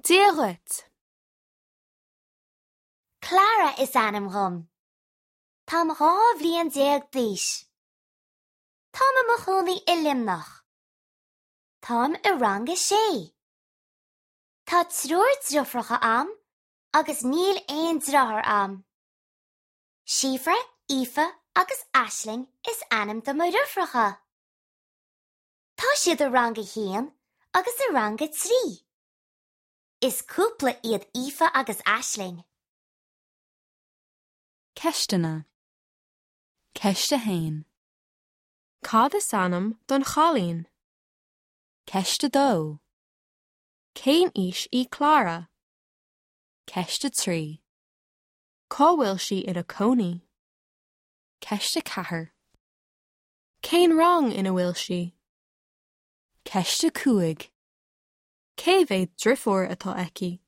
Dia dhuit! Clara is ainm dhom. Táim 12 bhliain d'aois. Táim i mo chónaí i Luimneach. Táim i rang a sé. Tá triúr driofracha a'm agus níl aon driotháir a'm. Síofra, Aoife agus Aisling is ainm do mo dhriofracha. Tá siad i rang a haon agus i rang a trí. Is cúpla iad Aoife agus Aisling. Ceisteanna. Ceist 1. Cad is ainm don chailín? Ceist 2. Cén aois í Clara? Ceist 3. Cá bhfuil sí ina cónaí? Ceist 4. Cén rang ina bhfuil sí? Ceist 5. Cé mhéad driofúr atá aici?